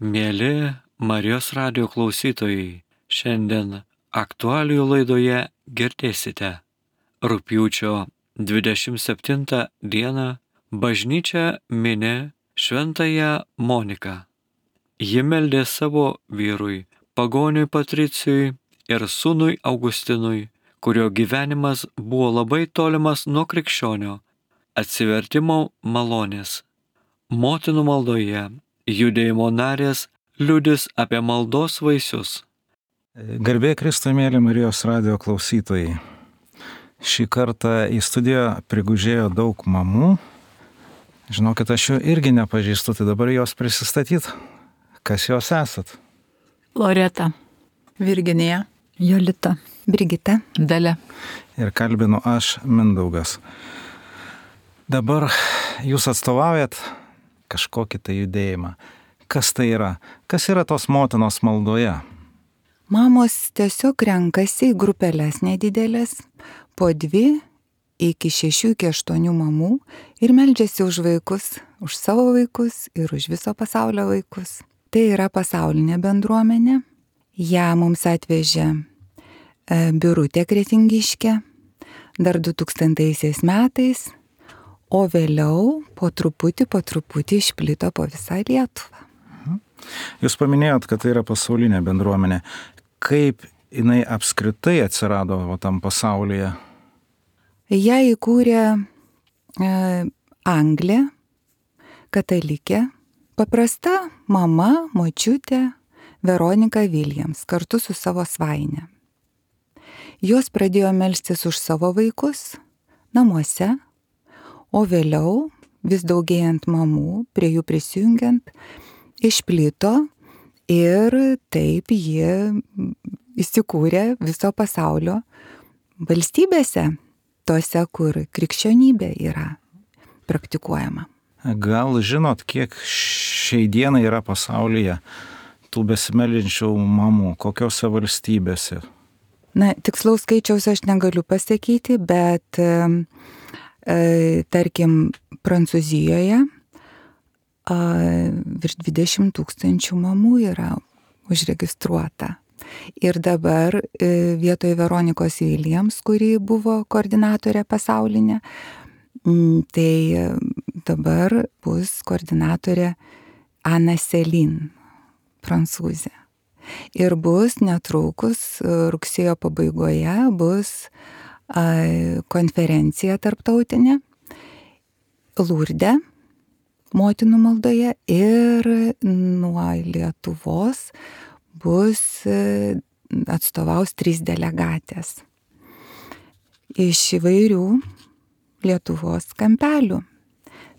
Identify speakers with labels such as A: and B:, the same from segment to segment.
A: Mėly Marijos radijo klausytojai, šiandien aktualijų laidoje girdėsite rugpjūčio 27 dieną bažnyčia mini Šventąją Moniką. Ji meldė savo vyrui, pagoniui Patricijui ir sūnui Augustinui, kurio gyvenimas buvo labai tolimas nuo krikščionio, atsivertimo malonės. Motinų maldoje judėjimo narės liudys apie maldos vaisius.
B: Garbė Kristui, mėly Marijos radijo klausytojai. Šį kartą į studiją prigužėjo daug mamų. Žinokit, aš jų irgi nepažįstu, tai dabar jos prisistatyt. Kas jos esat?
C: Loreta,
D: Virginija,
C: Jolita,
D: Brigita,
C: Dalia.
B: Ir kalbinu aš, Mindaugas. Dabar jūs atstovaujat kažkokį tai judėjimą. Kas tai yra? Kas yra tos motinos maldoje?
D: mamos tiesiog renkasi į grupelės nedidelės, po 2 iki 6 iki 8 mamų ir meldžiasi už vaikus, už savo vaikus ir už viso pasaulio vaikus. Tai yra pasaulinė bendruomenė. Ją mums atvežė Birutė Kretingiškė dar 2000 metais, o vėliau po truputį išplito po visą Lietuvą.
B: Jūs paminėjot, kad tai yra pasaulinė bendruomenė. Kaip jinai apskritai atsirado tam pasaulyje?
D: Ją įkūrė Anglė, katalikė, paprasta mama, močiutė Veronika Williams kartu su savo svaine. Jos pradėjo melstis už savo vaikus namuose, o vėliau, vis daugėjant mamų, prie jų prisijungiant, išplito ir taip ji įsikūrė viso pasaulio valstybėse, tose, kur krikščionybė yra praktikuojama.
B: Gal žinot, kiek šiai dienai yra pasaulyje tų besimeldžiančių mamų, kokiose valstybėse?
D: Na, tikslaus skaičiaus aš negaliu pasakyti, bet tarkim Prancūzijoje virš 20 000 mamų yra užregistruota. Ir dabar vietoj Veronikos Williams, kuri buvo koordinatorė pasaulinė, tai dabar bus koordinatorė Ana Selin, prancūzė. Ir bus netrukus, rugsėjo pabaigoje, bus konferencija tarptautinė Lurde, motinų maldoje, ir nuo Lietuvos bus atstovaus 3 delegatės iš įvairių Lietuvos kampelių.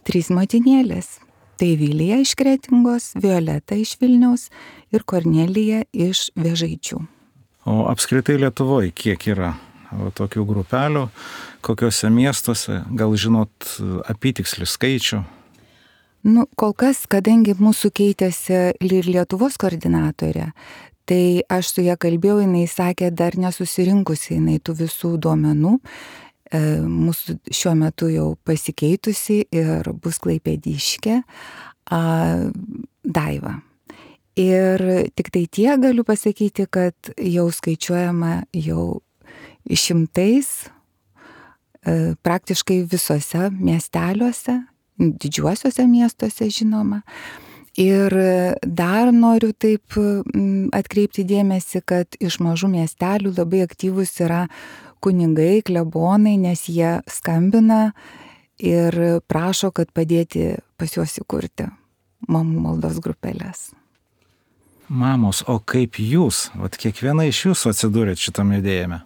D: 3 motinėlės. Tai Vilija iš Kretingos, Violeta iš Vilniaus ir Kornelija iš Vėžaičių.
B: O apskritai Lietuvoje kiek yra tokių grupelių, kokiuose miestuose, gal žinot apytikslį skaičių?
D: Nu, kol kas, kadangi mūsų keitėsi ir Lietuvos koordinatorė, tai aš su ją kalbėjau, jinai sakė, dar nesusirinkusi jinai tų visų duomenų. Mūsų šiuo metu jau pasikeitusi ir bus Klaipėdiškė Daiva. Ir tik tai tie galiu pasakyti, kad jau skaičiuojama jau šimtais praktiškai visose miesteliuose, didžiuosiuose miestuose žinoma. Ir dar noriu taip atkreipti dėmesį, kad iš mažų miestelių labai aktyvus yra kunigai, klebonai, nes jie skambina ir prašo, kad padėti pas juos įkurti mamų maldos grupelės.
B: Mamos, o kaip jūs, kiekviena iš jūsų atsidūrėt šitam judėjime?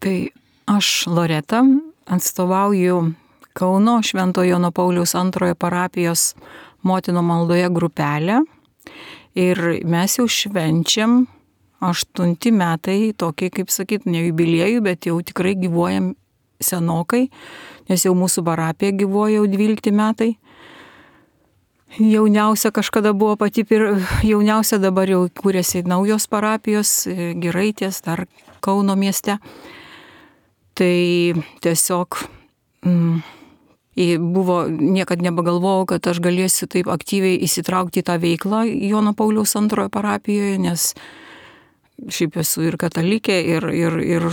C: Tai aš, Loreta, atstovauju Kauno Šventojo Jono Pauliaus II parapijos motinų maldoje grupelę ir mes jau švenčiam 8 metai, tokį, kaip sakyt, ne jubiliejų, bet jau tikrai gyvuojam senokai, nes jau mūsų parapija gyvuoja jau 12 metai. Jauniausia kažkada buvo pati jauniausia, dabar jau kūrėsi naujos parapijos, Giraitės, dar Kauno mieste. Tai tiesiog buvo, niekad nebegalvojau, kad aš galėsiu taip aktyviai įsitraukti į tą veiklą Jono Pauliaus antrojo parapijoje, nes šiaip esu ir katalikė, ir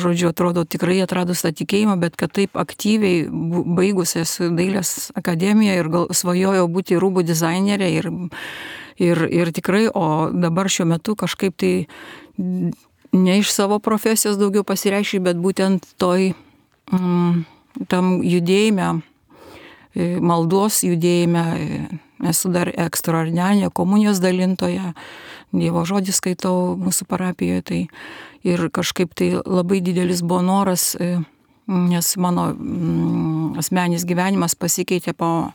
C: žodžiu, atrodo tikrai atradus tą tikėjimą, bet kad taip aktyviai baigus esu dailės akademiją ir svajojau būti rūbų dizainerė ir tikrai, o dabar šiuo metu kažkaip tai ne iš savo profesijos daugiau pasireiškia, bet būtent tam judėjime, maldos judėjime, esu dar ekstraordinarinė komunijos dalintoja, Dievo žodį skaitau mūsų parapijoje, tai ir kažkaip tai labai didelis buvo noras, nes mano asmeninis gyvenimas pasikeitė po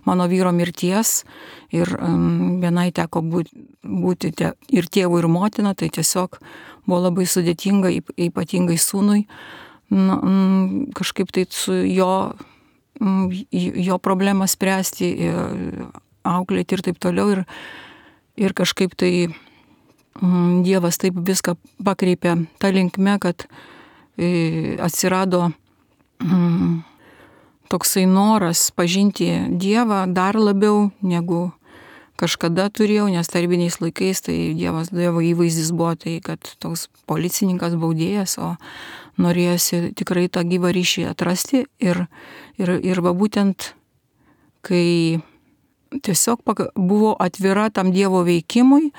C: mano vyro mirties ir vienai teko būti ir tėvų, ir motina, tai tiesiog buvo labai sudėtinga, ypatingai sūnui, kažkaip tai su jo problemą spręsti, auklėti ir taip toliau. Ir kažkaip tai Dievas taip viską pakreipė tą linkme, kad atsirado toksai noras pažinti Dievą dar labiau negu kažkada turėjau, nes tarybiniais laikais tai Dievo įvaizdis buvo tai, kad toks policininkas, baudėjas, o norėjosi tikrai tą gyvą ryšį atrasti ir va būtent, kai tiesiog buvo atvira tam Dievo veikimui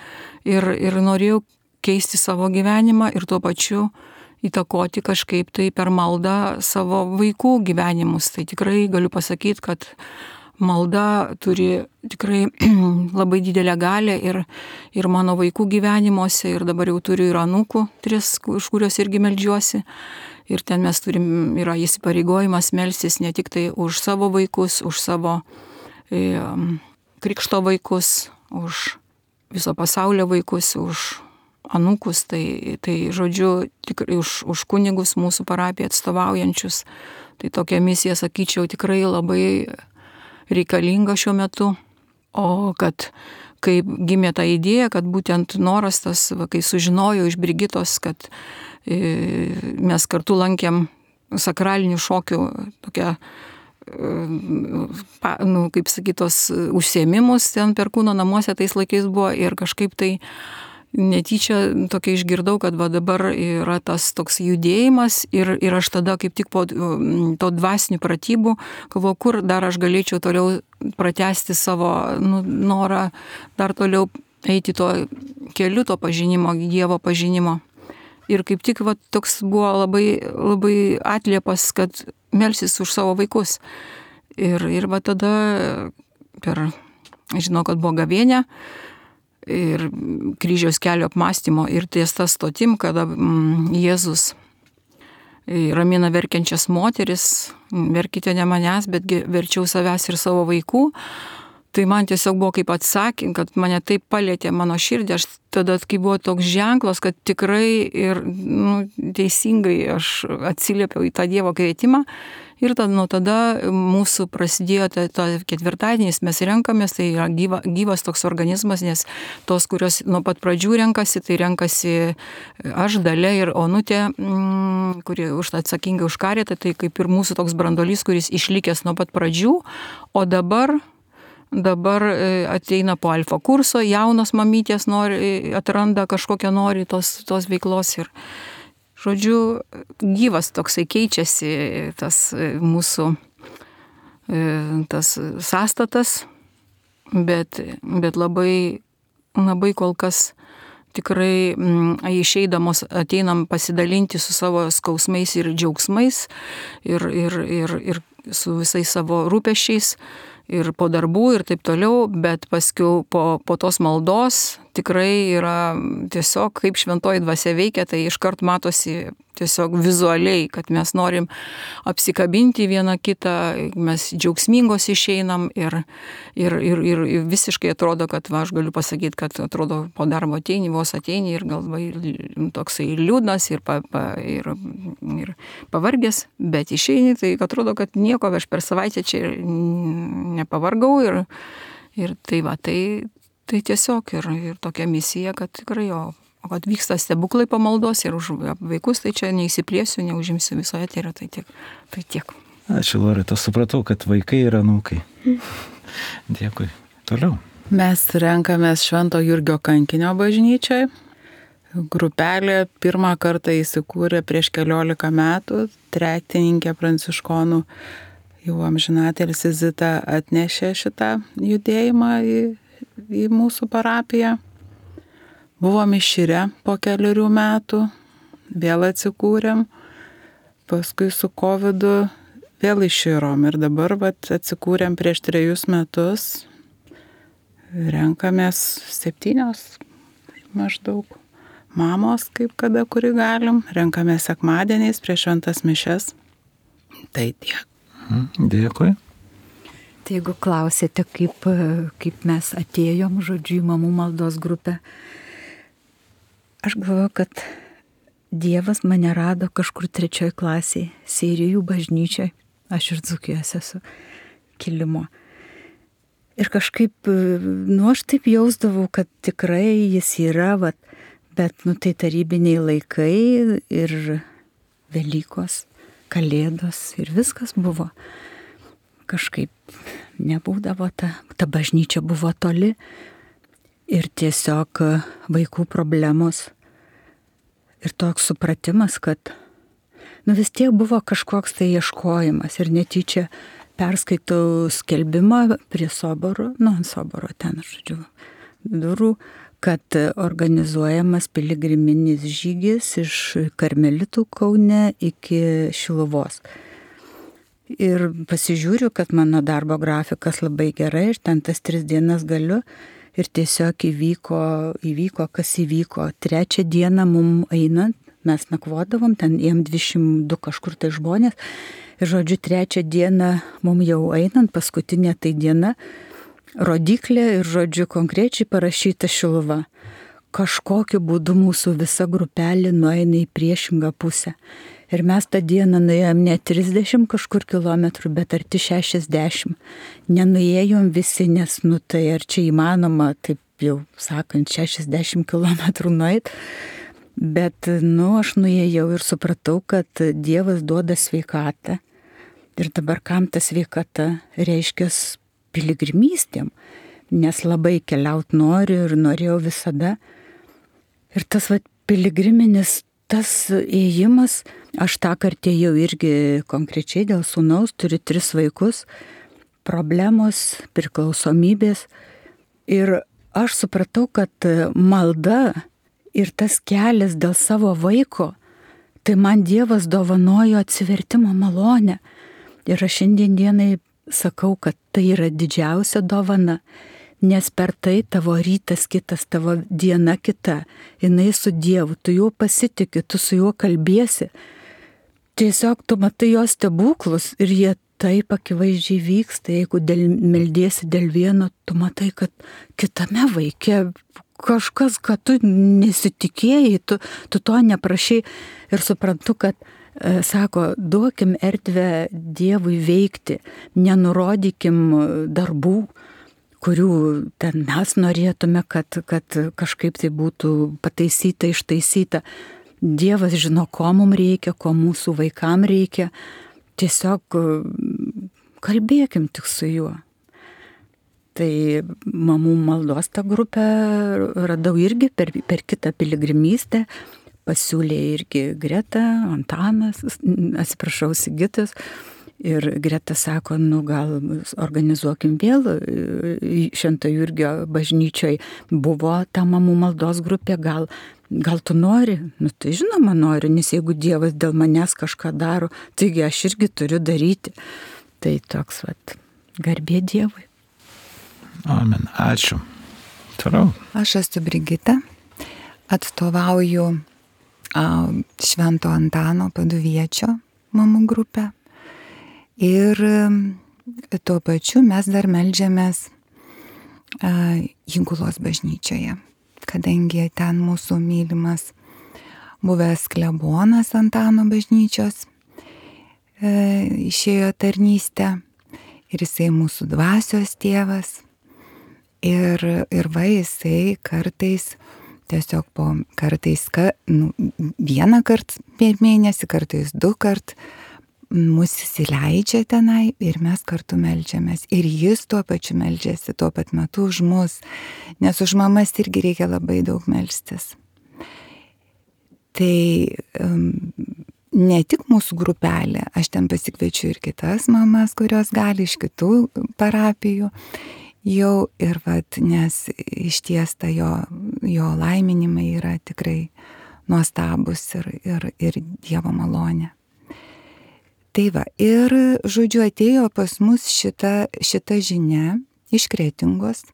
C: ir norėjau keisti savo gyvenimą ir tuo pačiu įtakoti kažkaip tai per maldą savo vaikų gyvenimus. Tai tikrai galiu pasakyti, kad malda turi tikrai labai didelę galią ir mano vaikų gyvenimuose, ir dabar jau turiu ir anūkų 3, už kurios irgi meldžiuosi. Ir ten mes yra įsipareigojimas melstis ne tik tai už savo vaikus, už savo krikšto vaikus, už viso pasaulio vaikus, už anūkus, tai žodžiu, tikrai už kunigus mūsų parapiją atstovaujančius. Tai tokia misija, sakyčiau, tikrai labai reikalinga šiuo metu. O kad kaip gimė ta idėja, kad būtent noras tas, kai sužinojau iš Brigitos, kad mes kartu lankėm sakralinių šokių tokią, kaip sakytos, užsiėmimus ten Perkūno namuose tais laikais buvo ir kažkaip tai netyčia tokia išgirdau, kad va dabar yra tas toks judėjimas ir aš tada kaip tik po to dvasinių pratybų galvoju, kur dar aš galėčiau toliau pratęsti savo norą, dar toliau eiti to keliu, to pažinimo, Dievo pažinimo. Ir kaip tik va, toks buvo labai, labai atliepas, kad melsis už savo vaikus. Ir va tada žinau, kad buvo gavėnia ir kryžiaus kelio apmąstymo ir ties ta stotim, kada Jėzus ramina verkiančias moteris, verkite ne manęs, betgi verčiau savęs ir savo vaikų. Tai man tiesiog buvo kaip atsakym, kad mane taip palėtė mano širdį, aš tada, kai buvo toks ženklas, kad tikrai ir teisingai aš atsiliepiau į tą Dievo kvietimą. Ir nuo tada mūsų prasidėjo ketvirtadienis, mes renkamės, tai yra gyvas toks organizmas, nes tos, kurios nuo pat pradžių renkasi, tai renkasi aš, Dalia ir Onutė, kuri atsakinga už karitą, tai kaip ir mūsų toks brandolys, kuris išlikęs nuo pat pradžių, o dabar ateina po alfa kurso, jaunos mamytės atranda kažkokią tos veiklos ir, žodžiu, gyvas toksai keičiasi tas mūsų tas sąstatas, bet labai, labai kol kas tikrai išeidamos ateinam pasidalinti su savo skausmais ir džiaugsmais ir su visais savo rūpesčiais ir po darbų ir taip toliau, bet paskiau po tos maldos tikrai yra tiesiog kaip šventoji dvasia veikia, tai iškart matosi tiesiog vizualiai, kad mes norim apsikabinti vieną kitą, mes džiaugsmingos išeinam ir visiškai atrodo, kad aš galiu pasakyti, kad atrodo po darbo vos ateini ir galvai toksai liūdnas ir pavargęs, bet išeini, tai atrodo, kad nieko aš per savaitę čia nepavargau ir tai va, tai tiesiog ir tokia misija, kad tikrai o kad vyksta stebuklai pamaldos ir už vaikus, tai čia neįsiplėsiu, neužimsiu visoje, tai yra tai tiek.
B: Ačiū, Loreta, supratau, kad vaikai ir anūkai. Dėkui. Toliau.
E: Mes renkamės Švento Jurgio kankinio bažnyčiai. Grupelė pirmą kartą įsikūrė prieš 14 metų. Tretininkė pranciškonų jau amžinatelis Zita atnešė šitą judėjimą į mūsų parapiją. Buvom iširę po 4 metų, vėl atsikūrėm, paskui su COVID vėl iširom ir dabar atsikūrėm prieš 3 metus. Renkamės 7 maždaug mamos, kaip kada, kuri galim. Renkamės sekmadieniais prieš šventas mišias. Tai tiek.
B: Dėkui.
F: Tai jeigu klausėte, kaip mes atėjom, žodžiu, į mamų maldos grupę, aš galvoju, kad Dievas mane rado kažkur 3 klasėje, Seirijų bažnyčiai. Aš ir Dzūkijos esu kilimo. Ir kažkaip, aš taip jausdavau, kad tikrai jis yra, bet, tai tarybiniai laikai ir Velykos, Kalėdos ir viskas buvo. Kažkaip nebūdavo, ta bažnyčia buvo toli ir tiesiog vaikų problemos ir toks supratimas, kad vis tiek buvo kažkoks tai ieškojimas ir netyčia perskaitau skelbimą prie soboro, ant soboro ten, žodžiu, durų, kad organizuojamas piligriminis žygis iš Karmelitų Kaune iki Šiluvos. Ir pasižiūriu, kad mano darbo grafikas labai gerai ir ten tas 3 dienas galiu ir tiesiog įvyko, kas įvyko. 3 dieną mum einant, mes nakvodavom, ten jiem 202 kažkur tai žmonės. Ir žodžiu, 3 dieną mum jau einant, paskutinė tai diena, rodiklė ir žodžiu konkrečiai parašyta Šiluva. Kažkokiu būdu mūsų visa grupelė nueina į priešingą pusę. Ir mes tą dieną nuėjom ne 30 kažkur kilometrų, bet arti 60. Nenuėjom visi, nes tai ar čia įmanoma, taip jau sakant, 60 kilometrų nueit. Bet, aš nuėjau ir supratau, kad Dievas duoda sveikatą. Ir dabar kam ta sveikata reiškia piligrimystėm, nes labai keliaut noriu ir norėjau visada. Ir tas piligriminis, tas ėjimas, aš tą kartą jau irgi konkrečiai dėl sūnaus, turiu 3 vaikus, problemos, priklausomybės. Ir aš supratau, kad malda ir tas kelias dėl savo vaiko, tai man Dievas dovanojo atsivertimo malonę. Ir aš šiandien dienai sakau, kad tai yra didžiausia dovana, nes per tai tavo rytas kitas, tavo diena kita, jinai su Dievu, tu juo pasitiki, tu su juo kalbėsi. Tiesiog tu matai jo stebuklus ir jie taip akivaizdžiai vyksta, jeigu meldiesi dėl vieno, tu matai, kad kitame vaike kažkas, kad tu nesitikėjai, tu to neprašai ir suprantu, kad sako, duokim erdvę Dievui veikti, nenurodykim darbų, kurių ten mes norėtume, kad kažkaip tai būtų pataisyta, ištaisyta. Dievas žino, ko mums reikia, ko mūsų vaikam reikia. Tiesiog kalbėkim tik su juo. Tai mamų maldos tą grupę radau irgi per kitą piligrimystę. Pasiūlė irgi Greta, Antanas, atsiprašau, Sigitas. Ir Greta sako, gal organizuokim vėl Švento Jurgio bažnyčioj. Buvo ta mamų maldos grupė, gal tu nori? Tai žinoma noriu, nes jeigu Dievas dėl manęs kažką daro, taigi aš irgi turiu daryti. Tai toks garbė Dievui.
B: Amen. Ačiū. Toliau.
D: Aš esu Brigita, atstovauju Švento Antano Paduviečio mamų grupę. Ir tuo pačiu mes dar meldžiamės Įgulos bažnyčioje, kadangi ten mūsų mylimas buvęs klebonas Antano bažnyčios išėjo tarnystę ir jisai mūsų dvasios tėvas. Ir jisai kartais, tiesiog kartais vieną kartą per mėnesį, kartais 2 kart mus įsileidžia tenai ir mes kartu meldžiamės. Ir jis tuo pačiu meldžiasi, tuo pat metu už mus, nes už mamas irgi reikia labai daug melstis. Tai ne tik mūsų grupelė, aš ten pasikviečiu ir kitas mamas, kurios gali iš kitų parapijų jau ir nes ištiesta jo laiminimai yra tikrai nuostabus ir Dievo malonė. Tai va, ir žodžiu atėjo pas mus šita žinia iš Kretingos.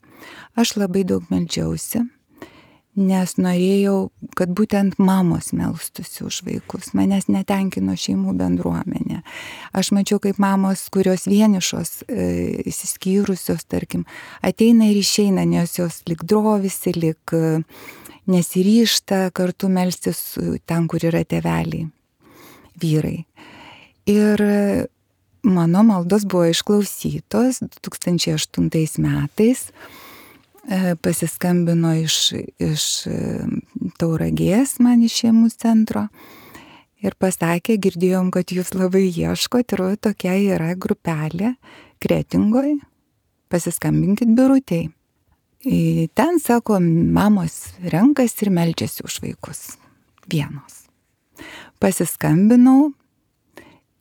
D: Aš labai daug meldžiausi, nes norėjau, kad būtent mamos melstųsi už vaikus. Manęs netenkino šeimų bendruomenė. Aš mačiau, kaip mamos, kurios vienišos, įsiskyrusios, tarkim, ateina ir išeina, nes jos lik drovisi, lik nesiryžta kartu melstis ten, kur yra tėveliai, vyrai. Ir mano maldos buvo išklausytos 2008 metais. Pasiskambino iš Tauragės man iš šeimų centro ir pasakė, girdėjom, kad jūs labai ieškot ir tokia yra grupelė Kretingoj, pasiskambinkit Birutei. Ten, sako, mamos renkasi ir meldžiasi už vaikus vienos. Pasiskambinau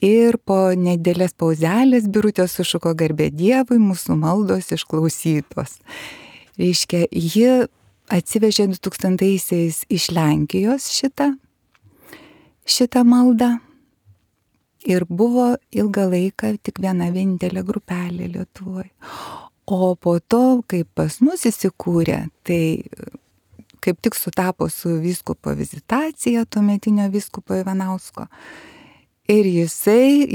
D: ir po nedidelės pauzelės Birutė sušuko garbė Dievui, mūsų maldos išklausytos. Reiškia, ji atsivežė 2000-aisiais iš Lenkijos šitą maldą ir buvo ilgą laiką tik viena vienintelė grupelė Lietuvoje. O po to, kai pas mus įsikūrė, tai kaip tik sutapo su vyskupo vizitacija, tuometinio vyskupo Ivanausko. Ir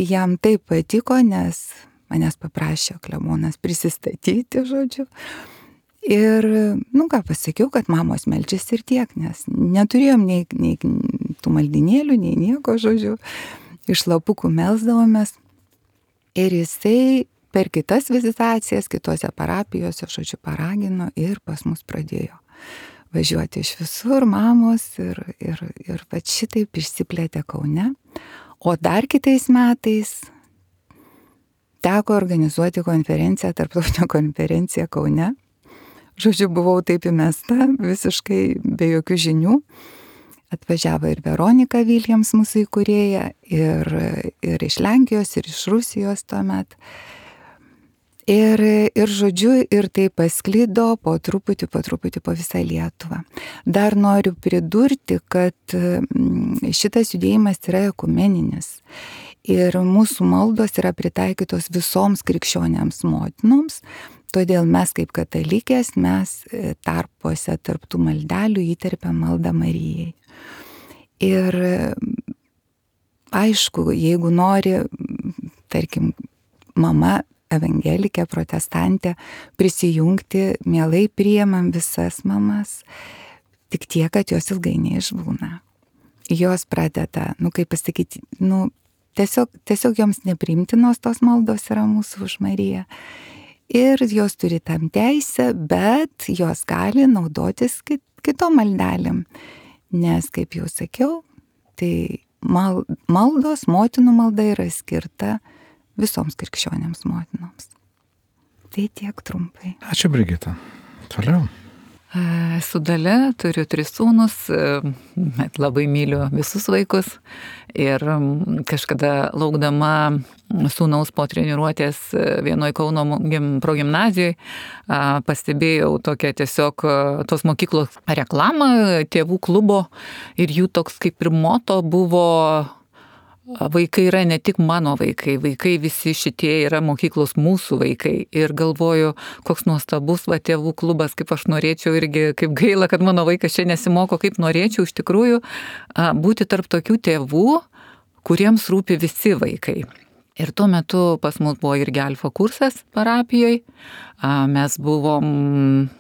D: jam taip patiko, nes manęs paprašė klebonas prisistatyti, žodžiu. Ir, pasakiau, kad mamos meldžiasi ir tiek, nes neturėjom nei tų maldinėlių, nei nieko, žodžiu, iš lapukų melsdavomės. Ir jisai per kitas vizitacijas, kitose parapijose, žodžiu, paragino ir pas mus pradėjo važiuoti iš visur mamos ir šitaip išsiplėtė Kaune. O dar kitais metais teko organizuoti konferenciją, tarptautinę konferenciją Kaune. Žodžiu, buvau taip įmesta, visiškai be jokių žinių. Atvažiavo ir Veronika Williams, mūsų įkūrėja, ir iš Lenkijos, ir iš Rusijos tuomet. Ir žodžiu, ir tai pasklido po truputį po visą Lietuvą. Dar noriu pridurti, kad šitas judėjimas yra ekumeninis. Ir mūsų maldos yra pritaikytos visoms krikščionėms motinoms. Todėl mes kaip katalikės, mes tarpuose tarptų maldelių įterpiam maldą Marijai. Ir aišku, jeigu nori, tarkim, mama evangelikė, protestantė, prisijungti, mielai priimam visas mamas, tik tiek, kad jos ilgai neišbūna. Jos pradeda, kaip pasakyti, tiesiog joms nepriimtinos tos maldos yra mūsų už Mariją. Ir jos turi tam teisę, bet jos gali naudotis kitom maldelėm. Nes, kaip jau sakiau, tai maldos, motinų malda yra skirta visoms krikščionėms motinoms. Tai tiek trumpai.
B: Ačiū, Brigita. Toliau.
E: Esu Dalia, turiu 3 sūnus, labai myliu visus vaikus ir kažkada laukdama sūnaus po treniruotės vienoje Kauno progimnazijoje pastebėjau tokią tiesiog tos mokyklos reklamą tėvų klubo ir jų toks kaip ir moto buvo: vaikai yra ne tik mano vaikai, vaikai visi šitie yra mokyklos mūsų vaikai. Ir galvoju, koks nuostabus tėvų klubas, kaip aš norėčiau irgi, kaip gaila, kad mano vaikas čia nesimoko, kaip norėčiau iš tikrųjų būti tarp tokių tėvų, kuriems rūpi visi vaikai. Ir tuo metu pas mus buvo irgi alfa kursas parapijoje. Mes buvom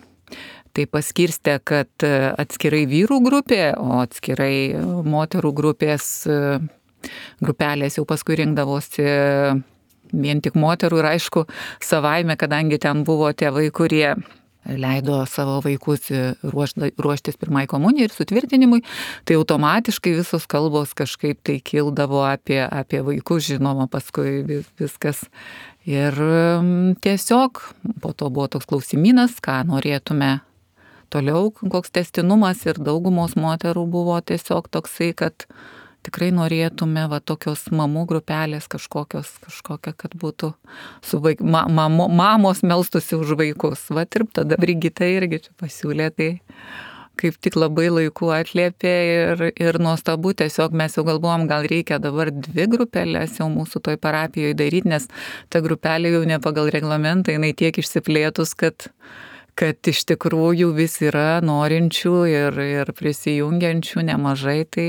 E: tai paskirstę, kad atskirai vyrų grupė, o atskirai moterų grupelės jau paskui rinkdavosi vien tik moterų ir aišku, savaime, kadangi ten buvo tėvai, kurie leido savo vaikus ruoštis pirmai komunijai ir sutvirtinimui, tai automatiškai visos kalbos kažkaip tai kildavo apie vaikus, žinoma, paskui viskas. Ir tiesiog po to buvo toks klausimynas, ką norėtume toliau, koks tęstinumas, ir daugumos moterų buvo tiesiog toksai, kad tikrai norėtume tokios mamų grupelės kažkokia, kad būtų su mamos melstusi už vaikus. Ir tada Brigita irgi čia pasiūlė, tai kaip tik labai laiku atliepė ir nuostabu, tiesiog mes jau galvojom, gal reikia dabar 2 grupelės jau mūsų toj parapijoje daryti, nes ta grupelė jau ne pagal reglamentą, jinai tiek išsiplėtus, kad iš tikrųjų vis yra norinčių ir prisijungiančių nemažai, tai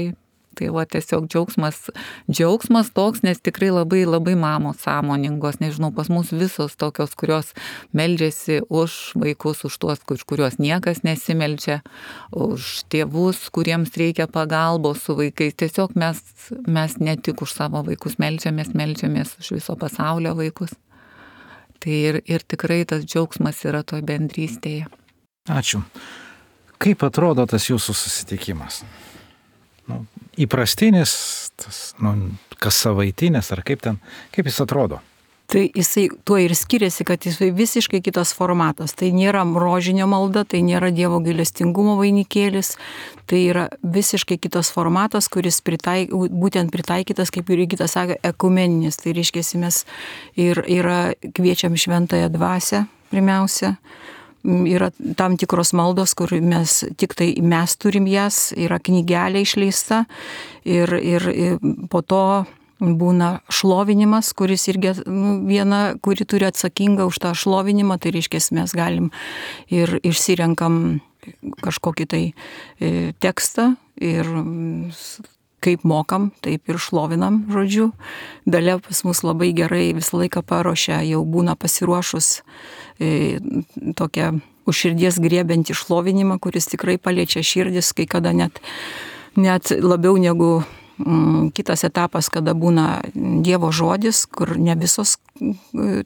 E: tiesiog džiaugsmas toks, nes tikrai labai, labai mamos sąmoningos, nežinau, pas mus visos tokios, kurios meldžiasi už vaikus, už tuos, kuriuos niekas nesimeldžia, už tėvus, kuriems reikia pagalbos su vaikais. Tiesiog mes ne tik už savo vaikus meldžiamės už viso pasaulio vaikus. Tai ir tikrai tas džiaugsmas yra toj bendrystėje.
B: Ačiū. Kaip atrodo tas jūsų susitikimas? Įprastinis, kas savaitinis, ar kaip jis atrodo?
C: Tai jisai tuo ir skiriasi, kad jisai visiškai kitas formatas. Tai nėra rožinio malda, tai nėra Dievo gailestingumo vainikėlis, tai yra visiškai kitas formatas, kuris būtent pritaikytas, kaip ir Jurgita sakė, ekumeninis. Tai reiškia, mes ir kviečiam šventąją dvasią pirmiausia. Yra tam tikros maldos, kur tik tai mes turim jas, yra knygelė išleista ir po to būna šlovinimas, kuris irgi viena, kuri turi atsakingą už tą šlovinimą, tai reiškia, mes galim ir išsirenkam kažkokį tai tekstą ir kaip mokam, taip ir šlovinam, žodžiu. Dalia pas mus labai gerai visą laiką paruošia, jau būna pasiruošus tokią už širdies griebiantį šlovinimą, kuris tikrai paliečia širdis, kai kada net labiau negu kitas etapas, kada būna Dievo žodis, kur ne visos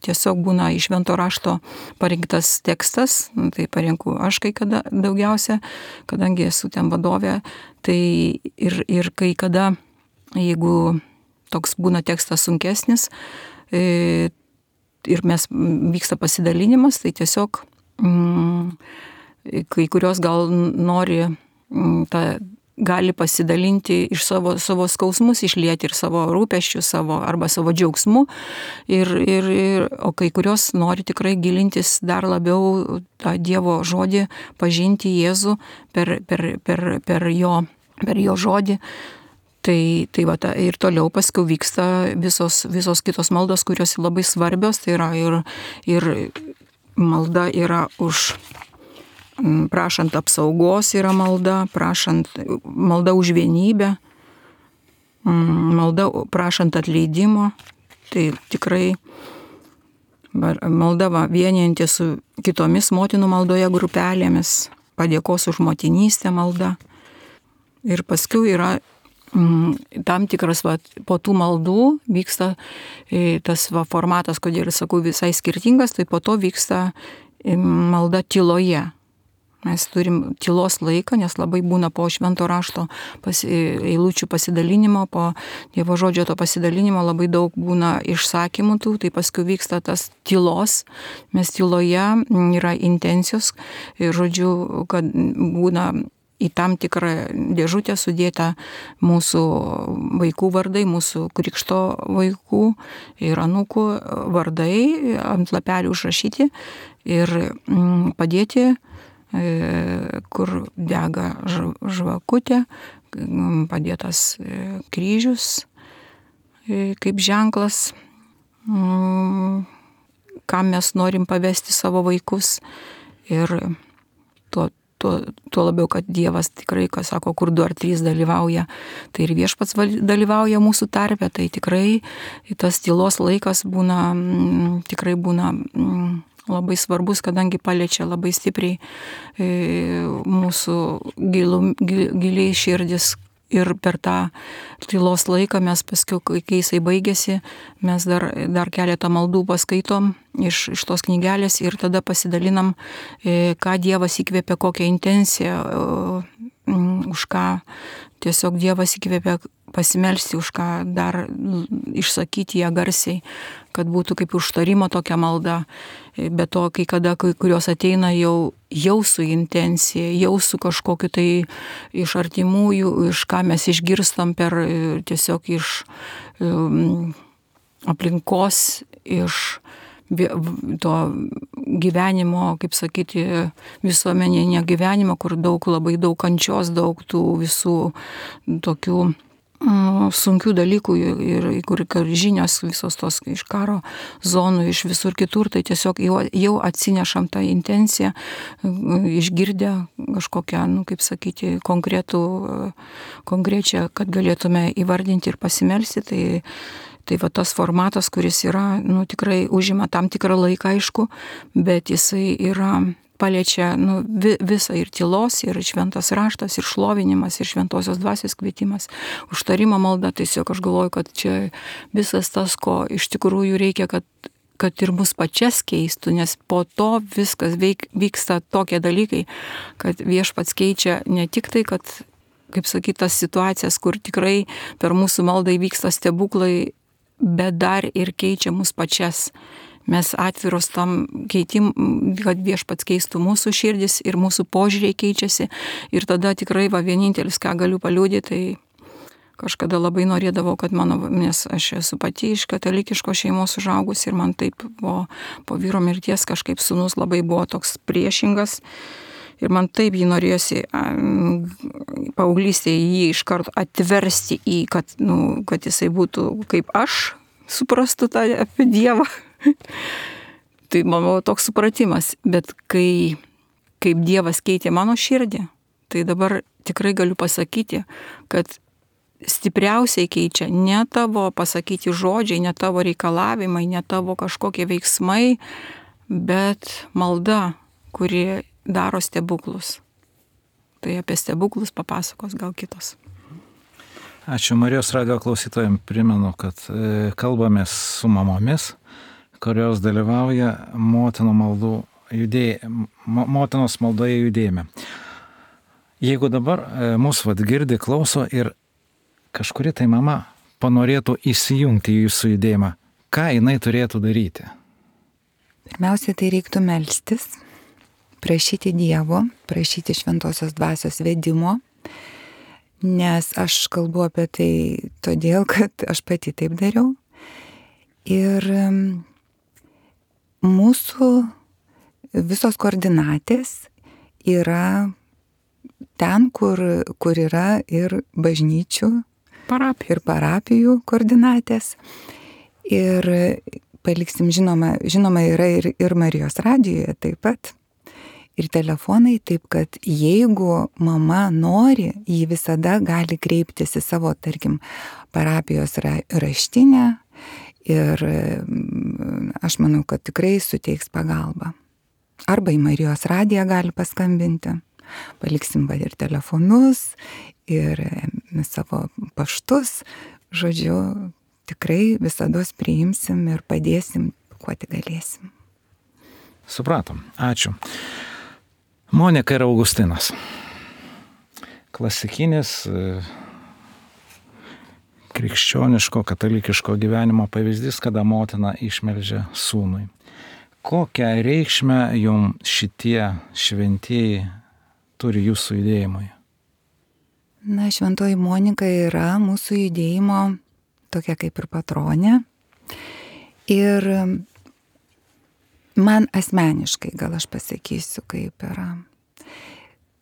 C: tiesiog būna iš švento rašto parinktas tekstas, tai parinku aš kai kada daugiausia, kadangi esu ten vadovė, tai ir kai kada, jeigu toks būna tekstas sunkesnis ir vyksta pasidalinimas, tai tiesiog kai kurios gal nori gali pasidalinti iš savo skausmus, išlieti ir savo rūpesčius, arba savo džiaugsmu, o kai kurios nori tikrai gilintis dar labiau tą Dievo žodį, pažinti Jėzų per jo žodį. Tai ir toliau paskui vyksta visos kitos maldos, kurios labai svarbios, tai yra ir malda yra už prašant apsaugos yra malda, malda už vienybę, malda prašant atleidimo, tai tikrai malda vienijanti su kitomis motinų maldoje grupelėmis, padėkos už motinystę malda. Ir paskui yra tam tikras po tų maldų vyksta tas formatas, kodėl sakau visai skirtingas, tai po to vyksta malda tyloje. Mes turim tylos laiką, nes labai būna po švento rašto eilučių pasidalinimo, po Dievo žodžio to pasidalinimo labai daug būna išsakymų tų, tai paskui vyksta tas tylos. Mes tyloje yra intencijos ir žodžiu, kad būna į tam tikrą dėžutę sudėta mūsų vaikų vardai, mūsų krikšto vaikų ir anūkų vardai ant lapelių užrašyti ir padėti, kur dega žvakutė, padėtas kryžius kaip ženklas, kam mes norim pavesti savo vaikus. Ir tuo labiau, kad Dievas tikrai, kas sako, kur 2 ar 3 dalyvauja, tai ir viešpats dalyvauja mūsų tarpe, tai tikrai tas tylos laikas tikrai būna labai svarbus, kadangi paliečia labai stipriai mūsų giliai širdis ir per tą tylos laiką mes paskui, kai jisai baigėsi, mes dar keletą maldų paskaitom iš tos knygelės ir tada pasidalinam, ką Dievas įkvėpė, kokią intenciją, už ką tiesiog Dievas įkvėpė pasimelsti, už ką dar išsakyti ją garsiai, kad būtų kaip užtarimo tokia malda. Be to, kai kurios ateina jau su intencija, jau su kažkokiu tai iš artimųjų, iš ką mes išgirstam tiesiog iš aplinkos, iš to gyvenimo, kaip sakyti, visuomeninio gyvenimo, kur labai daug kančios, daug tų visų tokių sunkių dalykų ir kur žinios visos tos iš karo zonų, iš visur kitur, tai tiesiog jau atsinešam tą intenciją, išgirdę kažkokią, kaip sakyti, konkrečią, kad galėtume įvardinti ir pasimelsti, tai va tas formatas, kuris yra, tikrai užima tam tikrą laiką, aišku, bet jisai yra paliečia visą ir tylos, ir šventas raštas, ir šlovinimas, ir šventosios dvasios kvietimas, užtarimo malda. Tiesiog aš galvoju, kad čia visas tas, ko iš tikrųjų reikia, kad ir mus pačias keistų, nes po to viskas vyksta tokie dalykai, kad Viešpats keičia ne tik tai, kad, kaip sakyti, tas situacijas, kur tikrai per mūsų maldą įvyksta stebuklai, bet dar ir keičia mus pačias. Mes atviros tam keitim, kad Viešpats keistų mūsų širdis ir mūsų požiūriai keičiasi. Ir tada tikrai vienintelis, ką galiu paliudyti, tai kažkada labai norėdavau, kad nes aš esu pati iš katalikiškos šeimos užaugus ir man taip po vyro mirties kažkaip sūnus labai buvo toks priešingas. Ir man taip jį norėjosi paauglystėje jį iš karto atversti kad jisai būtų kaip aš, suprastų tą apie Dievą. Tai mano toks supratimas, bet kaip Dievas keitė mano širdį, tai dabar tikrai galiu pasakyti, kad stipriausiai keičia ne tavo pasakyti žodžiai, ne tavo reikalavimai, ne tavo kažkokie veiksmai, bet malda, kuri daro stebuklus. Tai apie stebuklus papasakos gal kitos.
B: Ačiū Marijos radijo klausytojams, primenu, kad kalbamės su mamomis, kurios dalyvauja motinos maldoje judėjime. Jeigu dabar mūsų girdi, klauso ir kažkuri tai mama panorėtų įsijungti į jūsų judėjimą, ką jinai turėtų daryti?
D: Pirmiausia, tai reiktų melstis, prašyti Dievo, prašyti šventosios dvasios vedimo, nes aš kalbu apie tai todėl, kad aš pati taip dariau. Ir mūsų visos koordinatės yra ten, kur yra ir bažnyčių, ir parapijų koordinatės. Ir paliksim, žinoma yra ir Marijos radijoje taip pat, ir telefonai, taip kad jeigu mama nori, ji visada gali kreiptis į savo, tarkim, parapijos raštinę ir aš manau, kad tikrai suteiks pagalbą. Arba į Marijos radiją gali paskambinti. Paliksim ir telefonus, ir savo paštus. Žodžiu, tikrai visados priimsim ir padėsim, kuo tik galėsim.
B: Supratom. Ačiū. Monika ir Augustinas. Klasikinis krikščioniško, katalikiško gyvenimo pavyzdys, kada motina išmeldžia sūnui. Kokią reikšmę jums šitie šventieji turi jūsų judėjimui?
D: Na, šventoji Monika yra mūsų judėjimo tokia kaip ir patronė. Ir man asmeniškai, gal aš pasakysiu, kaip yra.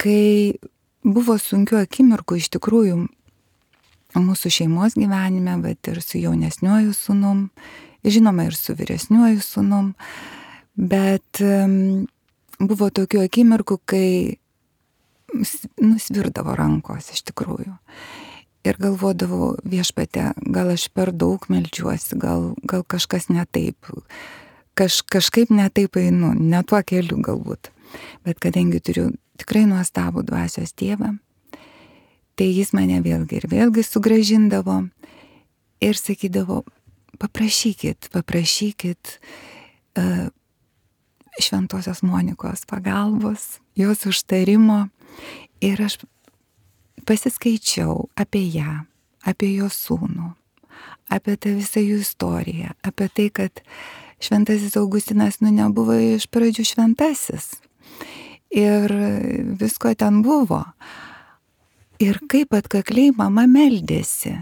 D: Kai buvo sunkių akimirkų iš tikrųjų mūsų šeimos gyvenime, bet ir su jaunesniuoju sūnum, žinoma ir su vyresniuoju sūnum, bet buvo tokių akimirkų, kai nusvirdavo rankos iš tikrųjų. Ir galvodavau, Viešpatie, gal aš per daug meldžiuosi, gal kažkas ne taip, kažkaip ne taip einu, ne tuo keliu galbūt. Bet kadangi turiu tikrai nuostabų dvasios tėvą, Tai jis mane vėlgi ir vėlgi sugrąžindavo ir sakydavo, paprašykit Šventosios Monikos pagalbos, jos užtarimo. Ir aš pasiskaičiau apie ją, apie jo sūnų, apie tą visą jų istoriją, apie tai, kad Šventasis Augustinas nebuvo iš pradžių šventasis. Ir visko ten buvo. Ir kaip atkakliai mama meldėsi.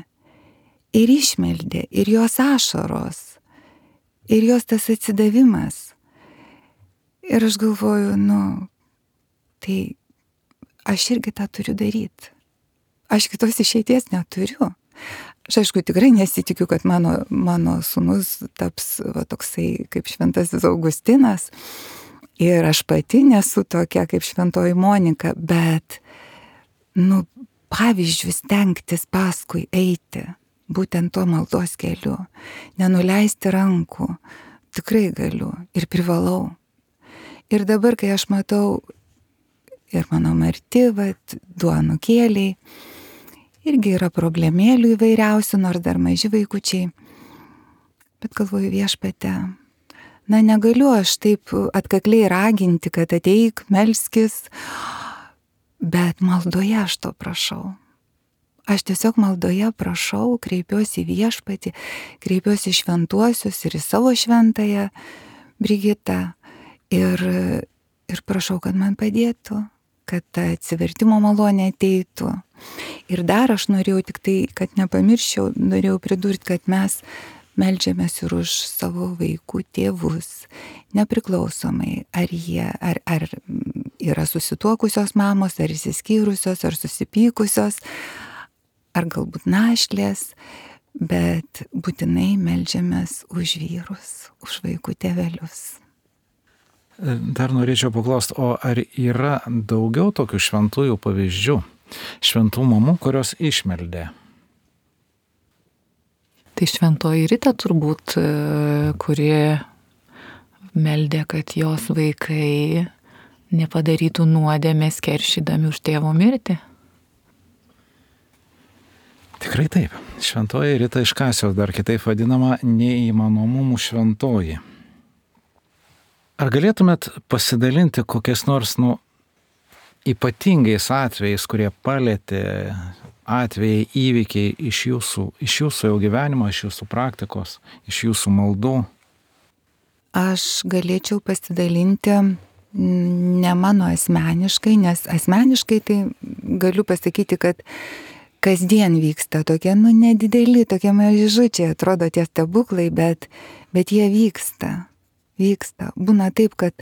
D: Ir išmeldė, ir jos ašaros, ir jos tas atsidavimas. Ir aš galvoju, tai aš irgi tą turiu daryti. Aš kitos išeities neturiu. Aš aišku tikrai nesitikiu, kad mano sūnus taps toksai kaip Šventasis Augustinas. Ir aš pati nesu tokia kaip Šventoji Monika, bet, pavyzdžius stengtis paskui eiti, būtent tuo maldos keliu, nenuleisti rankų, tikrai galiu ir privalau. Ir dabar, kai aš matau ir mano marti, du anūkėliai, irgi yra problemėlių įvairiausių, nors dar maži vaikučiai, bet galvoju, Viešpatie, negaliu aš taip atkakliai raginti, kad ateik, melskis, bet maldoje aš to prašau. Aš tiesiog maldoje prašau, kreipiuosi į Viešpatį, kreipiuosi į šventuosius ir į savo šventąją Brigitą ir prašau, kad man padėtų, kad ta atsivertimo malonė ateitų. Ir dar aš norėjau tik tai, kad nepamirščiau, norėjau pridurti, kad mes meldžiamės ir už savo vaikų tėvus, nepriklausomai, ar yra susituokusios mamos, ar išsiskyrusios, ar susipykusios, ar galbūt našlės, bet būtinai meldžiamės už vyrus, už vaikų tėvelius.
B: Dar norėčiau paklausti, o ar yra daugiau tokių šventųjų pavyzdžių, šventų mamų, kurios išmeldė?
E: Tai Šventoji Rita turbūt, kuri meldė, kad jos vaikai nepadarytų nuodėmės keršydami už tėvo mirtį.
B: Tikrai taip. Šventoji Rita iš Kasijos, dar kitaip vadinama neįmanomumų šventoji. Ar galėtumėt pasidalinti kokiais nors, ypatingais atvejais, kurie palėtė atvejai, įvykiai iš jūsų jau gyvenimo, iš jūsų praktikos, iš jūsų maldų?
D: Aš galėčiau pasidalinti ne mano asmeniškai, nes asmeniškai tai galiu pasakyti, kad kasdien vyksta tokie, nedideli, tokie mažučiai, atrodo tie stebuklai, bet jie vyksta. Būna taip, kad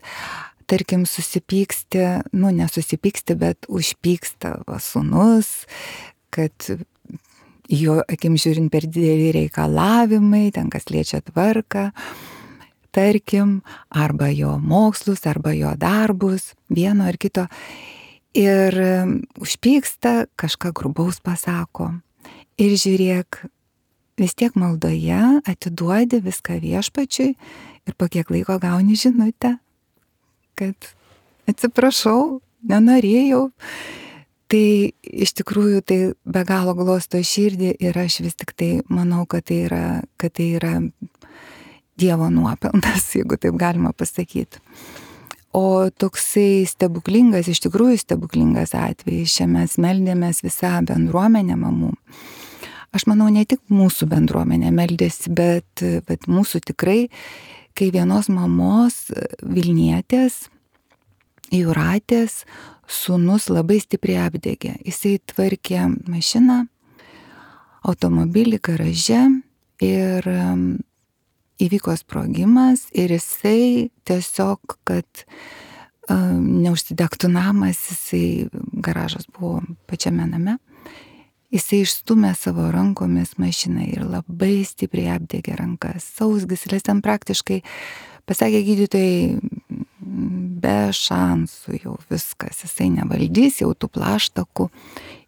D: tarkim susipyksti, nesusipyksti, bet užpyksta sūnus, kad jo akim žiūrint per dideli reikalavimai, ten kas liečia tvarką, tarkim, arba jo mokslus, arba jo darbus, vieno ar kito. Ir užpyksta, kažką grubaus pasako. Ir žiūrėk, vis tiek maldoje atiduodi viską Viešpačiui ir po kiek laiko gauni žinutę, kad atsiprašau, nenorėjau. Tai iš tikrųjų tai be galo glosto širdį ir aš vis tik tai manau, kad tai yra Dievo nuopelnas, jeigu taip galima pasakyti. O toksai stebuklingas, iš tikrųjų stebuklingas atvejis, čia mes meldėmės visą bendruomenę mamų. Aš manau, ne tik mūsų bendruomenė meldėsi, bet mūsų tikrai, kai vienos mamos Vilnietės, Jūratės, sūnus labai stipriai apdegė. Jisai tvarkė mašiną, automobilį garaže ir įvyko sprogimas ir jisai tiesiog, kad neužsidegtų namas, garažas buvo pačiame name, jisai išstumė savo rankomis mašiną ir labai stipriai apdegė rankas, sausgyslės, ten praktiškai, pasakė gydytojai, be šansų jau viskas, jisai nevaldys, jau tų plaštakų.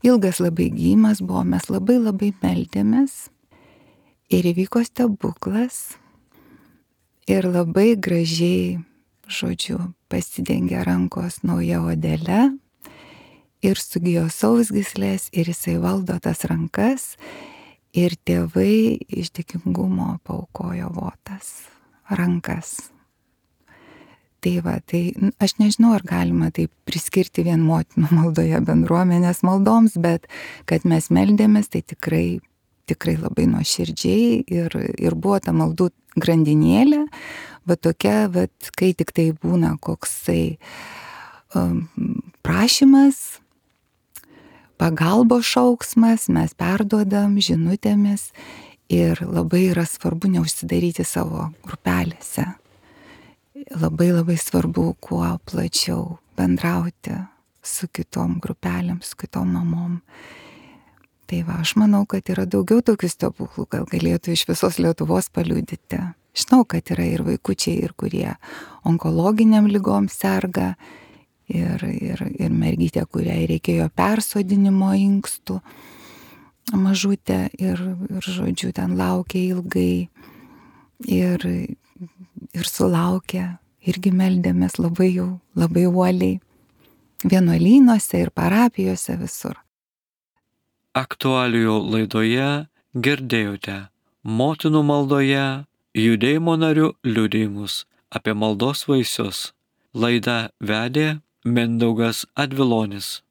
D: Ilgas labai gydymas buvo, mes labai meldėmės ir įvyko stebuklas ir labai gražiai, pasidengė rankos nauja odele ir sugijo sausgyslės, ir jisai valdo tas rankas, ir tėvai iš dėkingumo paaukojo votas, rankas. Tai va, tai aš nežinau, ar galima taip priskirti vien motinų maldoje bendruomenės maldoms, bet kad mes meldėmės, tai tikrai labai nuoširdžiai ir buvo ta maldų grandinėlė, va tokia, va, kai tik tai būna koksai prašymas, pagalbos šauksmas, mes perduodam žinutėmis ir labai yra svarbu neužsidaryti savo grupelėse. Labai labai svarbu kuo plačiau bendrauti su kitom grupelėm, su kitom mamom. Tai va, aš manau, kad yra daugiau tokių stebuklų, gal galėtų iš visos Lietuvos paliudyti. Žinau, kad yra ir vaikučiai, ir kurie onkologiniam lygom serga, ir mergytė, kuriai reikėjo persodinimo inkstų, mažutė, ir žodžiu, ten laukė ilgai, ir sulaukė, irgi meldėmės labai uoliai, vienuolynuose ir parapijose visur.
A: Aktualijų laidoje girdėjote motinų maldoje judėjimo narių liudijimus apie maldos vaisius. Laidą vedė Mindaugas Advilonis.